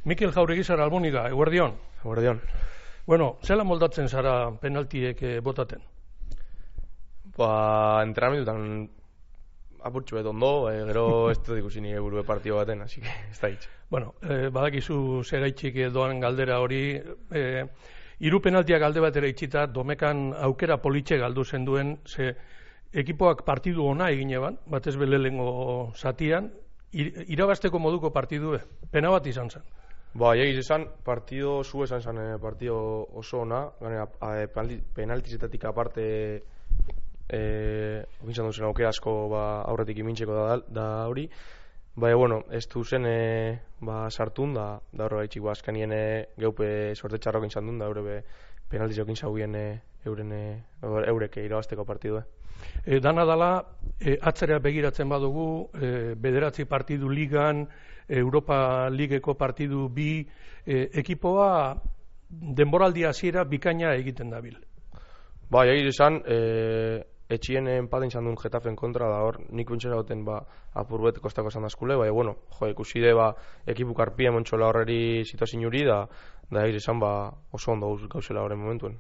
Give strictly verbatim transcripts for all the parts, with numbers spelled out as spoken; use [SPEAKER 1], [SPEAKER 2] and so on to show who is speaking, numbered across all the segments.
[SPEAKER 1] Mikel Jauregizar Alboniga, eguerdion.
[SPEAKER 2] Eguerdion.
[SPEAKER 1] Bueno, zela moldatzen zara penaltiek eh, botaten?
[SPEAKER 2] Ba, entrenamendutan apurtxu bet ondo, eh, gero ez dut ikusi nire burue partio baten, así que ez da hitz.
[SPEAKER 1] Bueno, eh, badakizu zeraitxik doan galdera hori, eh, hiru penaltiak alde batera itxita, domekan aukera politxe galdu zen duen, ze ekipoak partidu ona egin eban, batez belelengo zatian, ir, irabasteko moduko partidue, pena bat izan zen.
[SPEAKER 2] Ba, egiz esan, partido zu esan zen, eh, partido oso ona, ganera, eh, penaltizetatik aparte eh, okintzan duzen aukera asko ba, aurretik imintzeko da, da hori. Ba, e, bueno, ez du zen e, ba, sartun, da, da horre gaitxik, ba, azkanien e, geupe sorte txarro okintzan duen, da horre be penaltiz okintza guien e, euren e, eurek irabazteko partidue.
[SPEAKER 1] E, dana dala, e, atzera begiratzen badugu, e, bederatzi partidu ligan, Europa Ligeko partidu bi, e, ekipoa denboraldi hasiera bikaina egiten dabil.
[SPEAKER 2] Ba, egiz esan, e, etxien enpaten izan duen Getafen kontra, da hor, nik bintxera goten ba, apurbet kostako esan dazkule, bai, bueno, jo, ikusi de, ba, ekipu karpia montxola horreri situazin juri, da, da egiz esan, ba, oso ondo gauzela horren momentuen.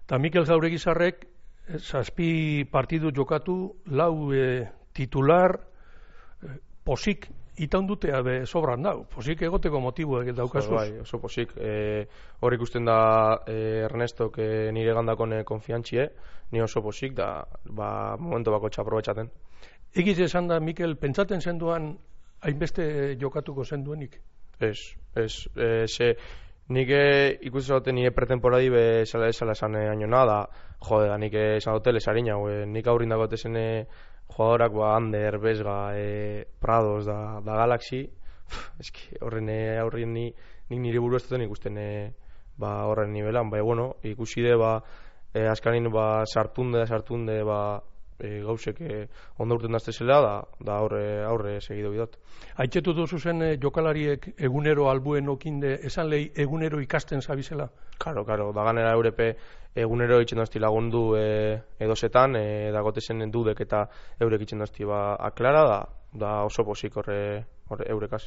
[SPEAKER 1] Ta Mikel Jauregizarrek, zazpi partidu jokatu, lau e, titular, e, posik, itaun dutea be sobran dau, posik egoteko motibuek daukazuz.
[SPEAKER 2] Bai, oso posik. E, hor ikusten da e, Ernestok e, nire gandakon e, konfiantxie, ni oso posik, da ba, momentu bako txaprobetxaten.
[SPEAKER 1] Egiz esan da, Mikel, pentsaten zenduan hainbeste jokatuko zenduenik?
[SPEAKER 2] Ez, ez, e, ze nik ikusten zaten nire pretemporadi be esala esala esan e, añona, da, jode, da nik esan dute lesarina, e, nik aurrin dago tezen e, jugadorak, ba, Ander, Besga, e, Prados, da, da Galaxy, eski horren e, aurrien ni, nik nire buru ez duten ikusten e, ba, horren nivelan, bai, bueno, ikusi de, ba, e, askarin, ba, sartunde, sartunde, ba, e, gauzek e, ondo urten daztezela, da, da aurre, aurre segido bidot.
[SPEAKER 1] Aitzetu duzu zen e, jokalariek egunero albuen okinde, esan lehi egunero ikasten zabizela?
[SPEAKER 2] Karo, karo, da ganera eurepe egunero itxen dazti lagundu e, edozetan, e, dagotezen dudek eta eurek itxen dazti ba, aklara, da, da oso posik horre, horre eurekaz.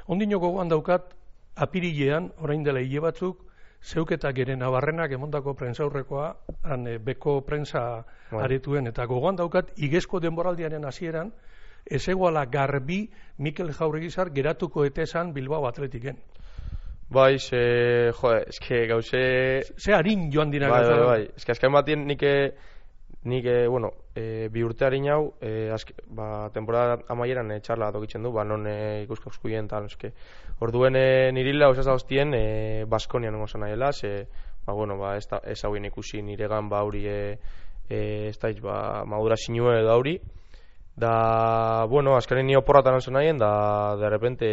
[SPEAKER 1] Ondino gogoan daukat, apirilean, orain dela hile batzuk, zeuketak ere Nabarrenak emondako prentzaurrekoa, han e, beko prentza aretuen, eta gogoan daukat, igezko denboraldiaren hasieran, ez egoala garbi Mikel Jauregizar geratuko etezan Bilbao Atletiken.
[SPEAKER 2] Bai, ze, jo, eske gauze...
[SPEAKER 1] Ze harin joan dira
[SPEAKER 2] bai,
[SPEAKER 1] gauza.
[SPEAKER 2] Bai, bai, eske azken batien nik, nik bueno, e, bi urte harin hau, e, azke, ba, temporada amaieran e, txarla tokitzen du, ba, non e, ikusko eskuien tal, eske. Orduen e, nirila osaz hostien e, Baskonian nengo zan nahiela, ze, ba, bueno, ba, ez, da, ez hauen ikusi niregan, ba, hori, e, e, ez da, ba, madura sinue da hori. Da, bueno, azkaren ni oporratan anzo nahien, da, de repente,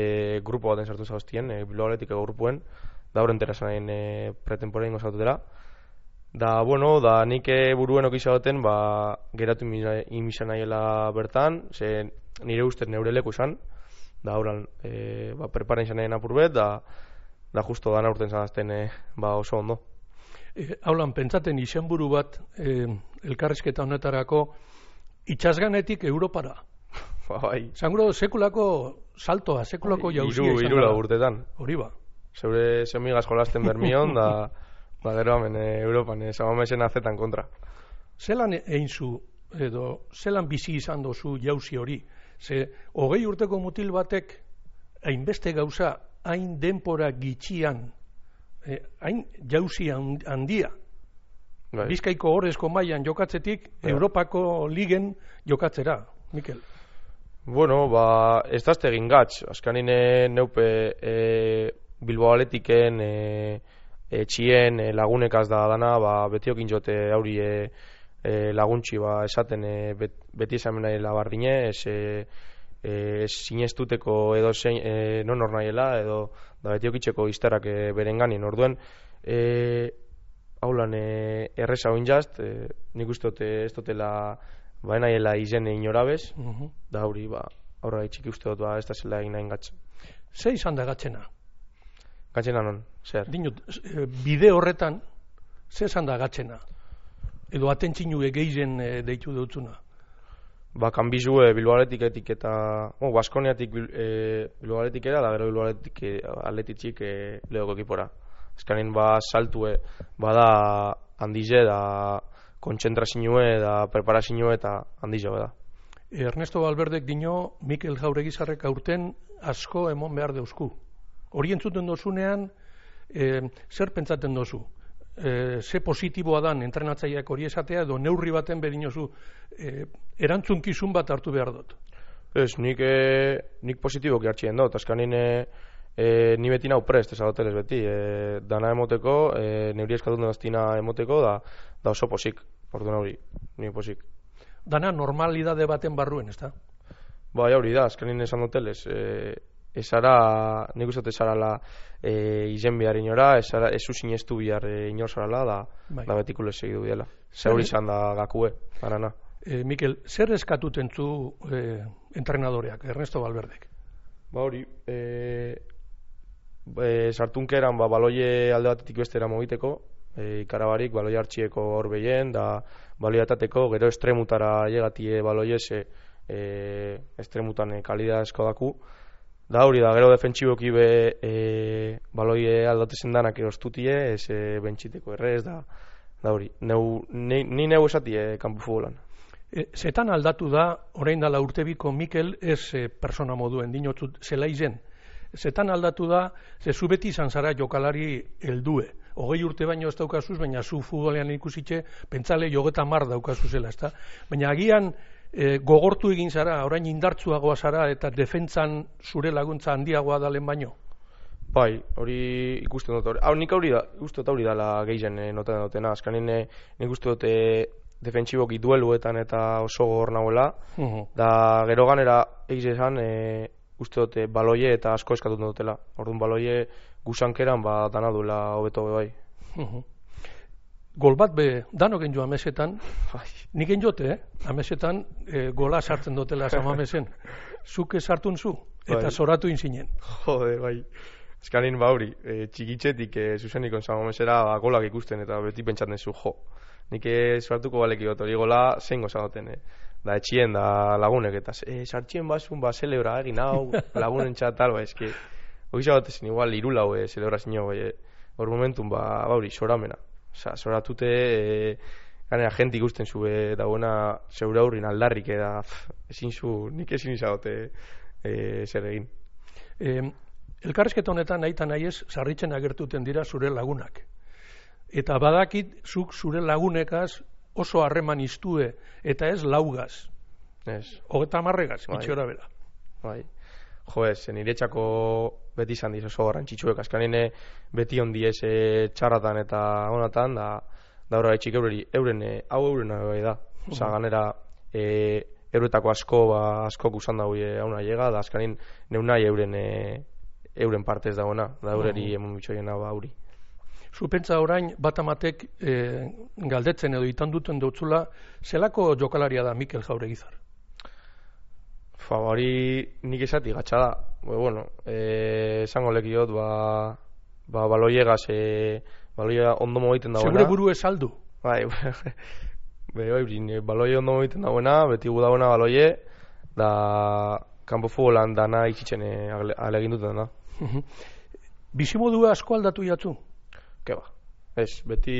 [SPEAKER 2] grupo baten sartu zauztien, e, Bilbao Atletikeko grupuen, da horren terazen nahien e, pretemporein gozaututera. Da, bueno, da, nik buruen okisa baten, ba, geratu imizan nahiela bertan, ze nire ustez neure leku izan, da, horan, e, ba, preparen izan nahien apurbet, da, da, justo da, naurten zanazten, e, ba, oso ondo.
[SPEAKER 1] E, haulan, pentsaten izenburu bat, e, elkarrizketa honetarako, itxasganetik Europara.
[SPEAKER 2] Ba, bai.
[SPEAKER 1] Zanguro, sekulako saltoa, sekulako jauzia izan.
[SPEAKER 2] Iru urtetan.
[SPEAKER 1] Hori ba.
[SPEAKER 2] Zeure zemigaz jolasten bermion, da, ba, gero hemen e, Europan, e, zamamesen azetan kontra.
[SPEAKER 1] Zelan egin zu, edo, zelan bizi izan dozu jauzi hori? Ze, hogei urteko mutil batek, hainbeste gauza, hain denpora gitxian, eh, hain jauzi handia, bai. Bizkaiko horrezko mailan jokatzetik, ja. Europako ligen jokatzera, Mikel.
[SPEAKER 2] Bueno, ba, ez dazte egin gatz. Azkanin neupe e, Bilbao Atletiken, e, e, txien e, lagunekaz da dana, ba, betiokin jote hauri e, e, laguntxi ba, esaten e, bet, beti esamen nahi labardine, ez e, e, sinestuteko edo zein, e, non hor nahiela, edo da betiokitzeko izterak e, berenganin. Orduen, e, haulan e, erreza oin jazt, e, nik uste dute ez dutela ba nahiela izen inorabez, uh -huh. da hori, ba, aurra itxiki uste dut, ba, ez da zela egin nahin gatzen.
[SPEAKER 1] Ze izan da gatzena?
[SPEAKER 2] Gatzena non, zer?
[SPEAKER 1] Dinot, bide horretan, ze izan da gatzena? Edo atentzinu egeizen e, deitu dutzuna?
[SPEAKER 2] ba, kanbizue Bilbao Athleticek eta, bueno, Baskoniatik e, Bilbao Athleticera, da gero Bilbao Athletic Athleticik e, Leoko ekipora. Azkanin, ba, saltue, bada handize, da kontzentrazioe, da preparazioe eta handize da.
[SPEAKER 1] Ernesto Valverdek dino, Mikel Jauregizarrek aurten asko emon behar deusku. Hori entzuten dozunean, e, zer pentsaten dozu? E, ze positiboa dan entrenatzaileak hori esatea, edo neurri baten bedinozu e, erantzunkizun bat hartu behar dut.
[SPEAKER 2] Ez, nik, e, nik positiboki hartxien dut, azkanin e, e, ni beti nau prest, ez adotelez beti, e, dana emoteko, e, neuri eskatun daztina emoteko, da, da oso posik, ordu neuri, ni posik.
[SPEAKER 1] Dana normalidade baten barruen, ez da?
[SPEAKER 2] Bai, hori da, azkanin esan dotelez, e, esara, nik uste esarala e, izen behar inora, esara, esu sinestu behar e, inor zarala, da, bai. Da betikule segidu biela. Zer izan da gakue, arana.
[SPEAKER 1] E, Mikel, zer eskatuten zu e, entrenadoreak, Ernesto Valverdek?
[SPEAKER 2] Ba hori, e, e, sartunkeran ba, baloie alde batetik bestera mogiteko, e, ikarabarik baloie hartxieko hor behien, da baloie atateko, gero estremutara llegatie baloie, ze e, estremutan e, kalidad esko daku. Da hori da, gero defentsiboki be e, baloie aldatezen danak erostutie, ez e, bentxiteko errez, da, da hori. Neu, ni, ni neu esatie kanpo futbolan.
[SPEAKER 1] E, zetan aldatu da, orain dala urtebiko Mikel ez e, persona moduen, dinotzut zela izen. Zetan aldatu da, ze zu beti izan zara jokalari heldue. Hogei urte baino ez daukazuz, baina zu futbolean ikusitxe, pentsale jogeta mar daukazu zela, ezta? Baina agian, E, gogortu egin zara, orain indartsuagoa zara eta defentsan zure laguntza handiagoa dalen baino?
[SPEAKER 2] Bai, hori ikusten dut. Hau, nik hori da, ikusten dut hori dela gehien e, noten dutena. Azkanin e, nik uste dut e, defentsiboki dueluetan eta oso gogor nahuela. Uh -huh. Da gero ganera egiz esan, e, uste dut e, baloie eta asko eskatut dutela. Orduan baloie gusankeran ba, dana duela hobeto be bai.
[SPEAKER 1] Uh -huh. Gol bat be, danok enjo amesetan, nik enjote, eh? Amesetan e, gola sartzen dutela samamesen. Zuk sartun zu, eta bai. Zoratu inzinen.
[SPEAKER 2] Jode, bai. Eskanin bauri, e, txikitzetik e, zuzenikon samamesera ba, golak ikusten, eta beti pentsatzen zu, jo. Nik sortuko baleki goto, hori gola zein gozagoten, eh? Da etxien, da lagunek, eta e, sartxien basun, ba, celebra egin hau, lagunen txatal, ba, eski. Hori zagotezen, igual, irulau, e, celebra zinio, bai, hor momentun, ba, bauri, soramena. Osa, zoratute, e, ganera, jenti ikusten zu, e, dagoena, zeure aurrin aldarrik, eda, ezin zu, nik ezin izagote e, zer egin.
[SPEAKER 1] E, elkarrezketa honetan, nahi eta nahi ez, sarritzen agertuten dira zure lagunak. Eta badakit, zuk zure lagunekaz oso harreman iztue, eta ez laugaz.
[SPEAKER 2] Ez.
[SPEAKER 1] Hogeta marregaz,
[SPEAKER 2] bai.
[SPEAKER 1] Gitxora bela.
[SPEAKER 2] Bai. Jo ez, nire txako beti izan diz oso garrantzitsuek, azkanine beti ondiez e, txarratan eta honatan, da, da horra etxik eureri, euren, e, hau euren bai da. Osa, ganera, e, euretako asko, ba, asko usan dago e, hauna llega, da azkanin neunai euren, e, euren partez dagoena, da eureri emon bitxoiena ba auri.
[SPEAKER 1] Zu pentsa orain bat amatek e, galdetzen edo itan duten dutzula, zelako jokalaria da Mikel Jauregizar?
[SPEAKER 2] Fa, hori nik esati gatsa da. Bueno, eh, esango lekiot, ba, ba, baloiegaz, e, baloia ondo mogiten dagoena.
[SPEAKER 1] Segure buru ez aldu?
[SPEAKER 2] Bai, be, bai, baloie ondo mogiten dagoena, beti gu dagoena baloie, da, kanpo futbolan dana ikitzen e, alegin duten da.
[SPEAKER 1] Bizimodua asko aldatu jatzu?
[SPEAKER 2] Keba, ez, beti,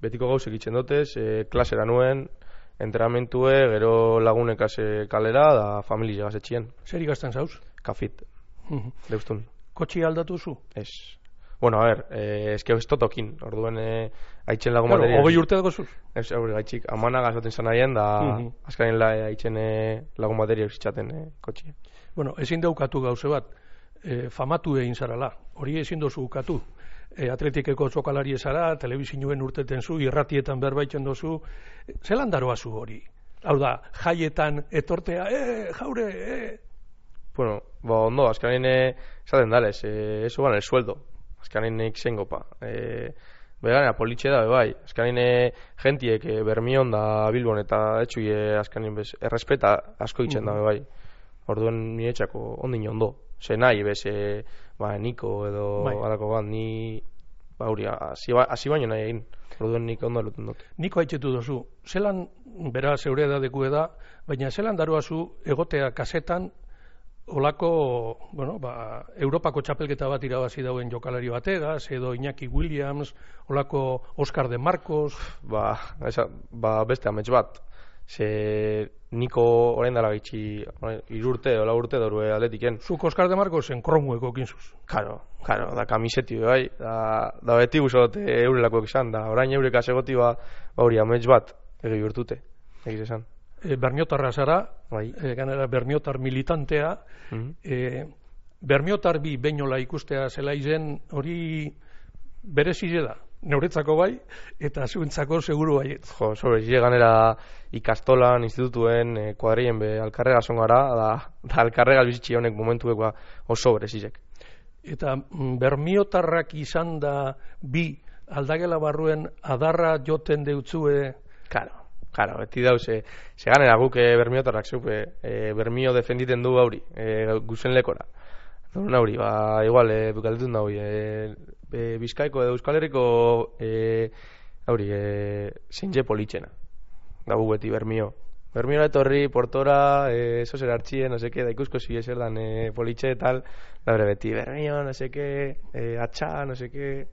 [SPEAKER 2] betiko gauzek itzen dutez, e, klasera nuen, entrenamentue, gero lagunekaz kalera, da familia gazetxien.
[SPEAKER 1] Zer ikastan zauz?
[SPEAKER 2] Kafit, deustun.
[SPEAKER 1] Kotxi aldatu zu?
[SPEAKER 2] Ez. Bueno, a ver, eh, eske ez totokin, orduen eh, haitzen lagun
[SPEAKER 1] claro,
[SPEAKER 2] materia.
[SPEAKER 1] Hogei urte dago zuz?
[SPEAKER 2] Ez, hori gaitxik, amana gazaten zan ahien, da uh -huh. azkarin la, haitzen eh, lagun materia eusitxaten eh, kotxi.
[SPEAKER 1] Bueno, ezin daukatu gauze bat, eh, famatu egin zarala, hori ezin dozu ukatu. E, atletikeko jokalari ezara, telebizinuen urteten zu, irratietan berbaitzen dozu, zelan daroa zu hori? Hau da, jaietan etortea, e, jaure, e...
[SPEAKER 2] Bueno, ba, ondo, azkanin esaten dales, e, eso ban el sueldo, azkanin ikzengo pa. E, Beganea, politxe da, bai, azkanin gentiek e, bermion da Bilbon, eta etxui e, azkanin bez, errespeta asko itzen uh -huh. da, bai. Orduen nire txako ondin ondo. Ze nahi, bez, e, ba, niko edo bai. Alako bat, ni ba, hori, hasi ba, baino nahi egin. Orduen nik ondo eluten dut.
[SPEAKER 1] Niko haitxetu dozu, zelan, bera, zeure edadeku eda, baina zelan daruazu egotea kasetan, olako, bueno, ba, Europako txapelketa bat irabazi dauen jokalari bategaz, edo Iñaki Williams, olako Oscar de Marcos...
[SPEAKER 2] Ba, esa, ba beste amets bat. Ze niko orain dela gaitxi irurte, ola urte dorue atletiken.
[SPEAKER 1] Zuk Oscar de Marcosen kromueko kinzuz.
[SPEAKER 2] Karo, karo, da kamiseti bai, da, da beti guzot eurelakoek izan, da orain eureka segoti ba hori amets bat egi urtute, egiz esan.
[SPEAKER 1] E, Berniotarra zara,
[SPEAKER 2] bai.
[SPEAKER 1] e, ganera Berniotar militantea, mm -hmm. e, Berniotar bi beinola ikustea zela izen hori berezile da. Neuretzako bai, eta zuentzako seguru baiet.
[SPEAKER 2] Jo, sobre, zile ganera ikastolan, institutuen, eh, kuadrien be, alkarrega zongara, da, da alkarrega bizitxi honek momentuek ba, oso berezizek.
[SPEAKER 1] Eta mm, Bermiotarrak izan da bi aldagela barruen adarra joten deutzue...
[SPEAKER 2] Karo, karo, beti dauz, e, ze ganera guk e, Bermiotarrak zupe, e, Bermio defenditen du hauri, e, guzen lekora. Dorun hauri, ba, igual, e, bukaldetun da hori, e, e, Bizkaiko edo Euskal Herriko e, hauri, e, zintxe politxena. Da gu beti Bermio. Bermio etorri, portora, e, eso zer hartxien, no seke, da ikusko zi eser dan e, politxe e tal, da bere beti Bermio, no seke, e, atxa, no seke...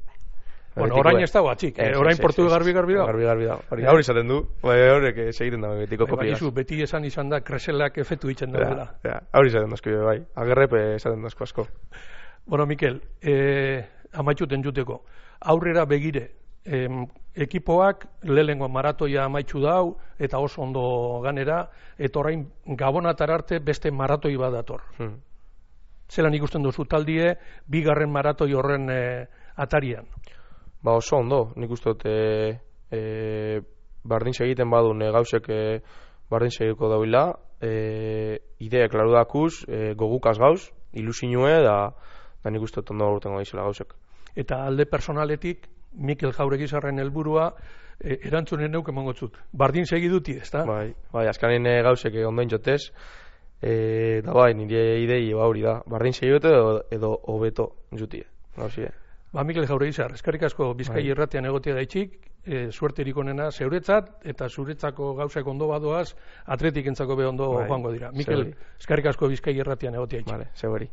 [SPEAKER 1] Bueno, orain ez dago atxik, eh, orain portu garbi-garbi dago.
[SPEAKER 2] Garbi-garbi dago. Hori izaten du, horrek segiten dago betiko kopiaz.
[SPEAKER 1] Bakizu, beti esan izan da, kreselak efetu itzen dagoela.
[SPEAKER 2] Hori izaten dazko, bai. Agerrepe izaten dazko asko.
[SPEAKER 1] Bueno, Mikel, eh, amaitxuten juteko. Aurrera begire, eh, ekipoak lehengo maratoia amaitxu dau, eta oso ondo ganera, eta orain gabonatar arte beste maratoi bat dator. Hmm. Zelan ikusten duzu taldie, bigarren maratoi horren eh, atarian?
[SPEAKER 2] Ba oso ondo, nik uste dut e, e, bardin segiten badun e, gauzek e, bardin segiko dauila, e, idea klaru dakuz, e, gogukaz gauz, ilusinue, da, da nik uste dut ondo urtengo daizela gauzek.
[SPEAKER 1] Eta alde personaletik, Mikel Jauregizarren helburua e, erantzunen neuk emangotzut. Bardin segi duti, ez da?
[SPEAKER 2] Bai, bai, azkanen e, gauzek e, ondoin jotez, e, da bai, nire idei ba hori da, bardin segi dute edo, edo hobeto jutie, gauzie.
[SPEAKER 1] Ba, Mikel Jauregizar, eskerrik asko Bizkai irratian egotea gaitxik, e, suerterik onena zeuretzat, eta zuretzako gauzak ondo badoaz, atletik entzako be ondo bai, joango dira. Mikel, eskerrik asko Bizkai irratian egotea gaitxik.
[SPEAKER 2] Vale, zeuri.